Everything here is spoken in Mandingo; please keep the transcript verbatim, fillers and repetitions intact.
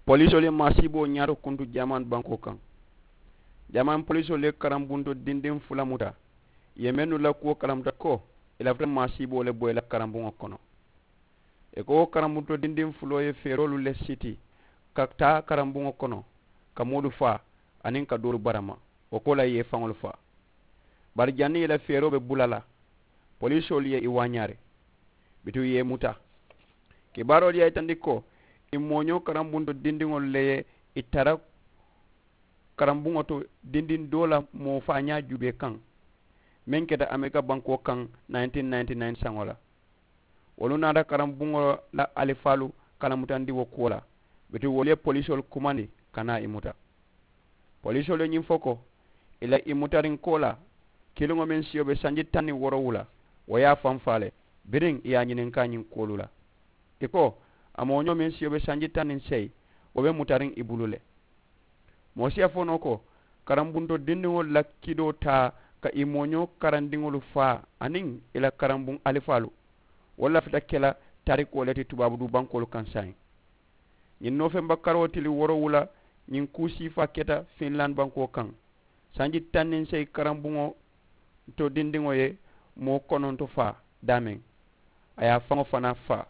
Polisoolu ye maasiiboo ñaato kuntu jamaani bankoo kaŋ. Jamaani polisoolu ye karambuntoo dindiŋ fula muta, ì ye mennu la kuwo kalamuta ko ì lafita maasiiboo le bo ì la karambuŋo kono. Ì ko wo karambuntoo dindiŋ fuloo ye feeroolu le siti ka taa karambuŋo kono, ka moolu faa aniŋ ka doolu barama, wo koolaa ì ye ì faŋolu faa. Bari janniŋ ì la feeroo be bula la, polisoolu ye ì waañaari, bituŋ ì ye ì muta. Kibaaroolu ye a yitandi ko ì mooñoo karambuntoo dindiŋolu le ye ì tara karambuŋo to dindiŋ doo la moo faañaa juubee kaŋ, meŋ keta amerika bankoo kaŋ nineteen ninety-nine saŋo la. Wolu naata karambuŋo la alifaalu kalamutandi wo kuwo la, bituŋ wolu ye polisoolu kumandi ka naa ì muta. Polisoolu ye ñiŋ fo ko ì la ì mutariŋ koolaa kiliŋo meŋ siyo be sanji taŋ niŋ woorowula, wo ye a faŋ faa le. Biriŋ ì ye a ñininkaa ñiŋ kuwolu la, ì ko a mooñoo meŋ siyo be sanji taŋ niŋ seyi, wo be mutariŋ ì bulu le. Moo si a fo noo ko karambuntoo dindiŋolu la kidoo taa ka ì mooñoo karandiŋolu faa aniŋ ì la karambuŋ alifaalu, wo lafita ke la tarikoo le ti tubaabu duu bankoolu kaŋ saayiŋ. Ñiŋ noofemba karoo tili woorowula ñiŋ kuu siifaa keta finland bankoo kaŋ. Sanji taŋ niŋ seyi karambuŋo to dindiŋo ye moo kononto faa daameŋ, a ye a faŋo fanaa faa.